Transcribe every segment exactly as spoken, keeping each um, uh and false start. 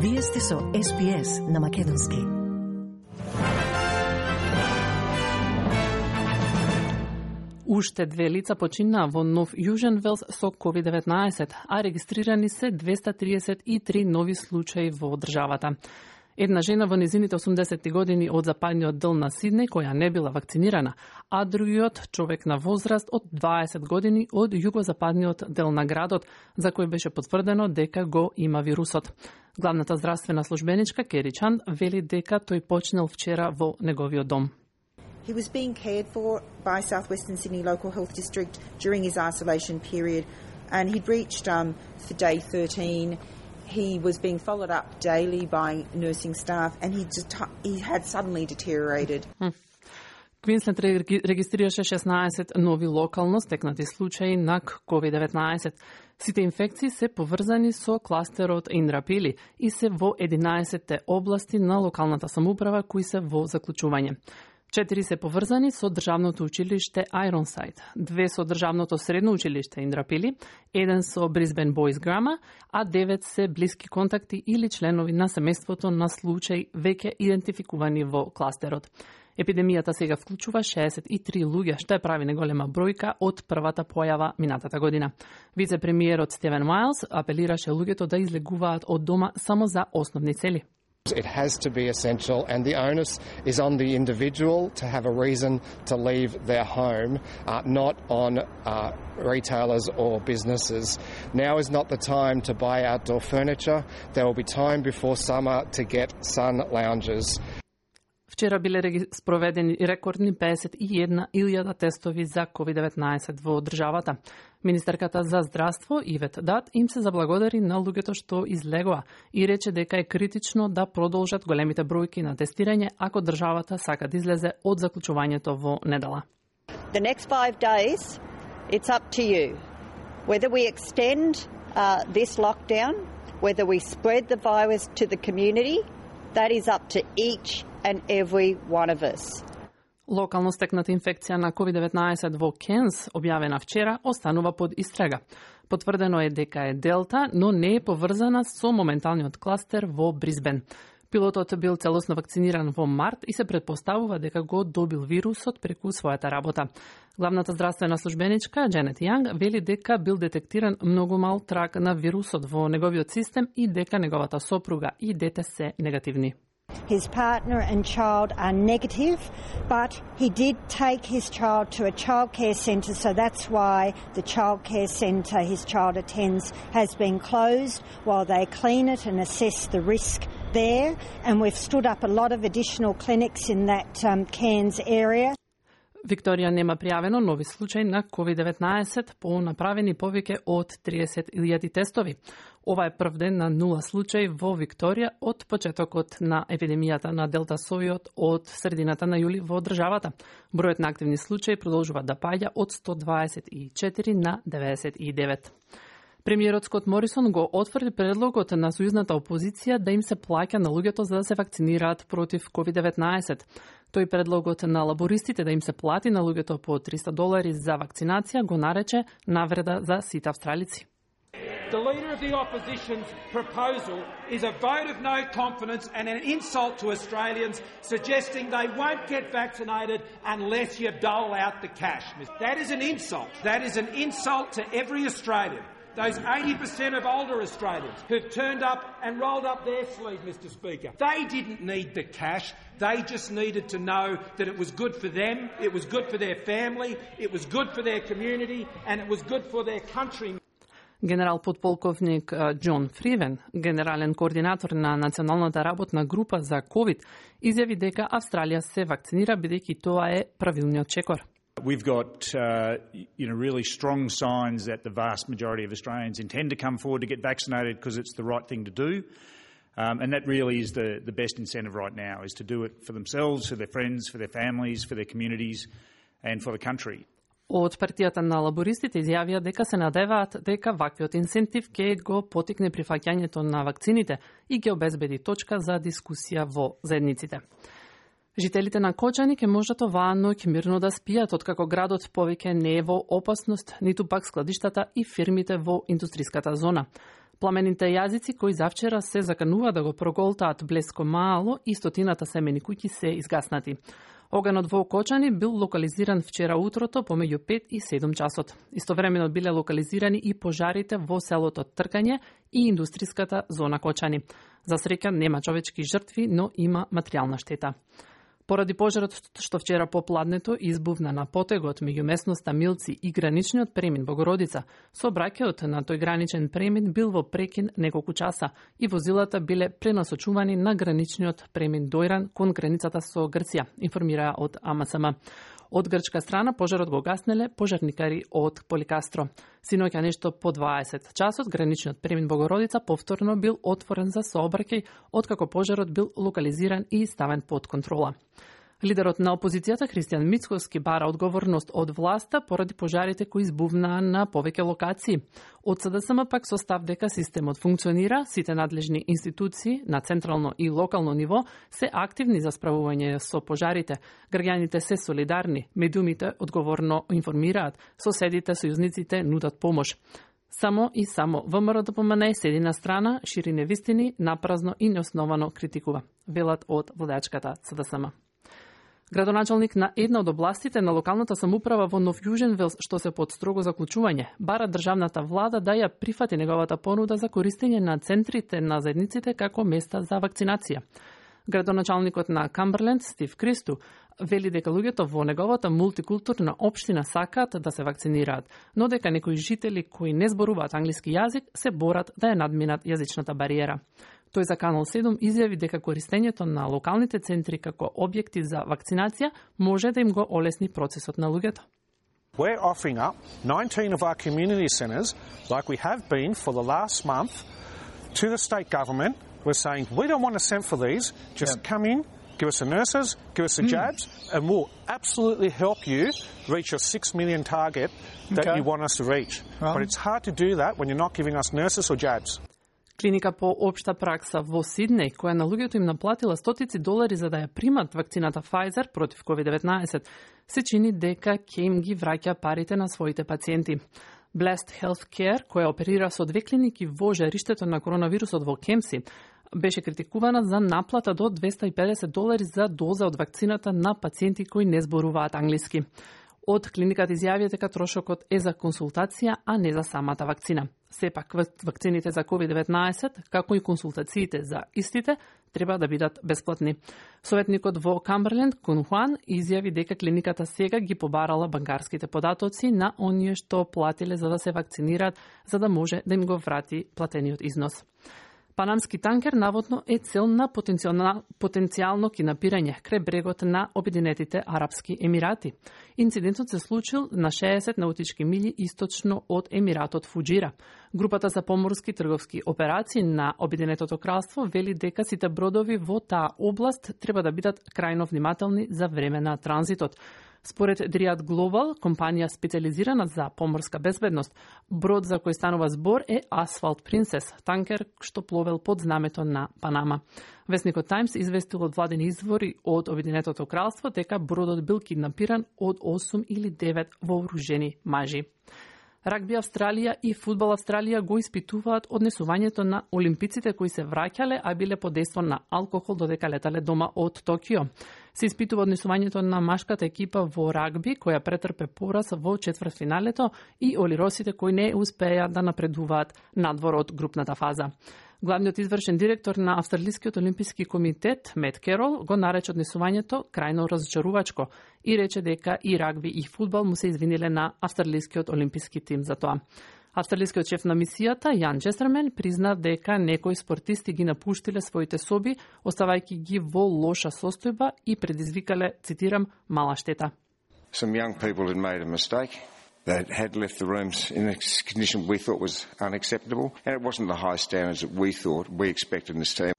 Вие сте со Ес Би Ес на Македонски. Уште две лица починаа во Нов Јужен Велс со ковид деветнаесет, а регистрирани се двеста триесет и три нови случаи во државата. Една жена во незините осумдесетти години од западниот дел на Сиднеј која не била вакцинирана, а другиот човек на возраст од дваесет години од југозападниот дел на градот, за кој беше потврдено дека го има вирусот. Главната здравствена службеничка Кери Чанд вели дека тој почнал вчера во неговиот дом. He was being cared for by South Western Sydney Local Health District during his isolation period, and he'd reached um, for day thirteen. He was being followed up daily by nursing staff, and he just he had suddenly deteriorated. Квинсленд регистрираше шеснаесет нови локално стекнати случаи на ковид деветнаесет. Сите инфекции се поврзани со кластерот Индрапили и се во единаесетте области на локалната самоуправа кои се во заклучување. Четири се поврзани со државното училиште Айронсайд, две со државното средно училиште Индрапили, еден со Брисбен Бойс Грама, а девет се блиски контакти или членови на семејството на случаи веќе идентификувани во кластерот. Епидемијата сега вклучува шеесет и три луѓе, што ја прави неголема бројка од првата појава минатата година. Вице-премиерот Стивен Мајлс апелираше луѓето да излегуваат од дома само за основни цели. It has to be essential, and the onus is on the individual to have a reason to leave their home, uh, not on uh, retailers or businesses. Now is not the time to buy outdoor furniture. There will be time before summer to get sun lounges. Вчера биле спроведени рекордни педесет и една илјада тестови за ковид деветнаесет во државата. Министерката за здравство Ивет Дат им се заблагодари на луѓето што излегоа и рече дека е критично да продолжат големите бројки на тестирање ако државата сака да излезе од заклучувањето во недела. The next five days, it's up to you. Whether we extend uh, this lockdown, whether we spread the virus to the community, that is up to each and every one of us. Локално стекната инфекција на ковид деветнаесет во Кенс, објавена вчера, останува под истрага. Потврдено е дека е Делта, но не е поврзана со моменталниот кластер во Брисбен. Пилотот бил целосно вакциниран во март и се претпоставува дека го добил вирусот преку својата работа. Главната здравствена службеничка Дженет Јанг вели дека бил детектиран многу мал траг на вирусот во неговиот систем и дека неговата сопруга и дете се негативни. His partner and child are negative, but he did take his child to a childcare centre, so that's why the childcare centre his child attends has been closed while they clean it and assess the risk there. And we've stood up a lot of additional clinics in that um, Cairns area. Викторија нема пријавено нови случаи на ковид деветнаесет по направени повеќе од триесет илјади тестови. Ова е прв ден на нула случаи во Викторија од почетокот на епидемијата на Делта совиот од средината на јули во државата. Бројот на активни случаи продолжува да паѓа од сто дваесет и четири на деветдесет и девет. Премиерот Скот Морисон го отврди предлогот на сојузната опозиција да им се плаќа на луѓето за да се вакцинираат против ковид деветнаесет. Тој предлогот на лабористите да им се плати на луѓето по триста долари за вакцинација го нарече навреда за сите австралици. The Leader of the Opposition's proposal is a vote of no confidence and an insult to Australians, suggesting they won't get vaccinated unless you dole out the cash. That is an insult. That is an insult to every Australian. Those eighty percent of older Australians who've turned up and rolled up their sleeve, Mister Speaker. They didn't need the cash. They just needed to know that it was good for them, it was good for their family, it was good for their community, and it was good for their country. Генерал подполковник Џон Фривен, генерален координатор на Националната работна група за ковид, изјави дека Австралија се вакцинира бидејќи тоа е правилниот чекор. We've got uh, you know, really strong signs that the vast majority of Australians intend to come forward to get vaccinated because it's the right thing to do. Um, and that really is the, the best incentive right now, is to do it for themselves, for their friends, for their families, for their communities and for the country. Од партијата на лабористите изјавија дека се надеваат дека ваквиот инсентив ќе го потикне прифаќањето на вакцините и ќе обезбеди точка за дискусија во заедниците. Жителите на Кочани ќе можат оваа ноќ мирно да спијат откако градот повеќе не е во опасност, ниту пак складиштата и фирмите во индустриската зона. Пламените јазици кои завчера се заканува да го проголтаат Блеско мало и стотината семени куќи се изгаснати. Огнот во Окочани бил локализиран вчера утрото помеѓу пет и седум часот. Истовремено биле локализирани и пожарите во селото Тркање и индустриската зона Кочани. За среќа нема човечки жртви, но има материјална штета. Поради пожарот што вчера попладнето избувна на потегот меѓу местноста Милци и граничниот премин Богородица, сообраќајот на тој граничен премин бил во прекин неколку часа и возилата биле пренасочувани на граничниот премин Дојран кон границата со Грција, информираа од А М С М. Од грчка страна пожарот го гаснеле пожарникари од Поликастро. Синоќа нешто по дваесет часот граничниот премин Богородица повторно бил отворен за сообраќај, откако пожарот бил локализиран и ставен под контрола. Лидерот на опозицијата Христијан Мицковски бара одговорност од власта поради пожарите кои избувнаа на повеќе локации. Од С Д С М пак со став дека системот функционира, сите надлежни институции на централно и локално ниво се активни за справување со пожарите. Граѓаните се солидарни, медиумите одговорно информираат, соседите, сојузниците нудат помош. Само и само В М Р Д П М Н седи на страна, шири невистини, напразно и неосновано критикува, велат од владачката С Д С М. Градоначалник на една од областите на локалната самоуправа во Нов Јужен Велс, што се под строго заклучување, бара државната влада да ја прифати неговата понуда за користење на центрите на заедниците како места за вакцинација. Градоначалникот на Камберленд, Стив Кристу, вели дека луѓето во неговата мултикултурна општина сакаат да се вакцинираат, но дека некои жители кои не зборуваат англиски јазик се борат да ја надминат јазичната бариера. Тој за Канал седум изјави дека користењето на локалните центри како објекти за вакцинација може да им го олесни процесот на луѓето. We're offering up nineteen of our community centres, like we have been for the last month, to the state government. We're saying, we don't want to send for these, just yeah. come in, give us the nurses, give us the mm. jabs, and we'll absolutely help you reach your six million target that okay. you want us to reach. Well. But it's hard to do that when you're not giving us nurses or jabs. Клиника по општа пракса во Сиднеј, која на луѓето им наплатила стотици долари за да ја примат вакцината Pfizer против ковид деветнаесет, се чини дека ќе им ги враќа парите на своите пациенти. Blessed Healthcare, која оперира со две клиники во жариштето на коронавирусот во Кемси, беше критикувана за наплата до двеста и педесет долари за доза од вакцината на пациенти кои не зборуваат англиски. Од клиниката изјавија дека трошокот е за консултација, а не за самата вакцина. Сепак, вакцините за ковид деветнаесет, како и консултациите за истите, треба да бидат бесплатни. Советникот во Камберленд, Кун Хуан, изјави дека клиниката сега ги побарала банкарските податоци на оние што платиле за да се вакцинираат, за да може да им го врати платениот износ. Панамски танкер наводно е цел на потенцијално, потенцијално кинапирање крај брегот на Обединетите Арапски Емирати. Инцидентот се случил на шеесет наутички мили источно од Емиратот Фуџира. Групата за поморски трговски операции на Обединетото кралство вели дека сите бродови во таа област треба да бидат крајно внимателни за време на транзитот. Според Dryad Global, компанија специализирана за поморска безбедност, брод за кој станува збор е Asphalt Princess, танкер што пловел под знамето на Панама. Весникот Times известил од владени извори од Обединетото кралство дека бродот бил киднапиран од осум или девет вооружени мажи. Рагби Австралија и фудбал Австралија го испитуваат однесувањето на олимпиците кои се враќале, а биле под дејство на алкохол додека летале дома од Токио. Се испитува однесувањето на машката екипа во рагби, која претрпе пораз во четвртфиналето, и олиросите кои не успеа да напредуваат надвор од групната фаза. Главниот извршен директор на Австралискиот олимписки комитет, Мет Керол, го нарече однесувањето крајно разочарувачко и рече дека и рагби и фудбал му се извиниле на Австралискиот олимписки тим за тоа. Австралискиот шеф на мисијата, Јан Честермен, призна дека некои спортисти ги напуштиле своите соби, оставајќи ги во лоша состојба и предизвикале, цитирам, мала штета. Some young people had made a mistake. They had left the rooms in a condition we thought was unacceptable, and it wasn't the high standards that we thought we expected in this team.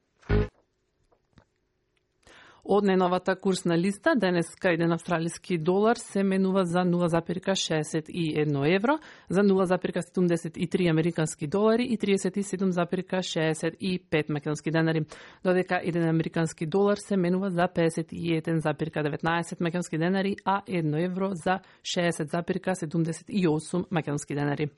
Од неновата курсна листа, денеска еден австралиски долар се менува за нула запирка шеесет и едно евро, за нула запирка седумдесет и три американски долари и триесет и седум запирка шеесет и пет македонски денари, додека еден американски долар се менува за педесет и еден запирка деветнаесет македонски денари, а едно евро за шеесет запирка седумдесет и осум македонски денари.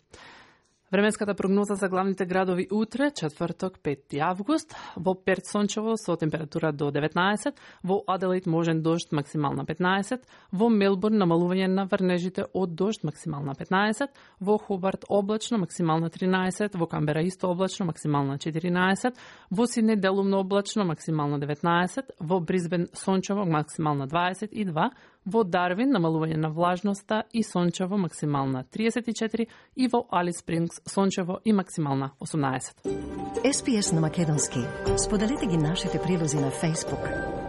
Временската прогноза за главните градови утре, четврток, пети август, во Перт сончево со температура до деветнаесет, во Аделаид можен дожд максимална петнаесет, во Мелбурн намалување на врнежите од дожд максимална петнаесет, во Хобарт облачно максимална тринаесет, во Камбера исто облачно максимална четиринаесет, во Сиднеј делумно облачно максимална деветнаесет, во Брисбен сончево максимална дваесет и два, во Дарвин намалување на влажноста и сончево максимална триесет и четири и во Алис Спрингс сончево и максимална осумнаесет. Ес Пи Ес на македонски. Споделете ги нашите прилози на Facebook.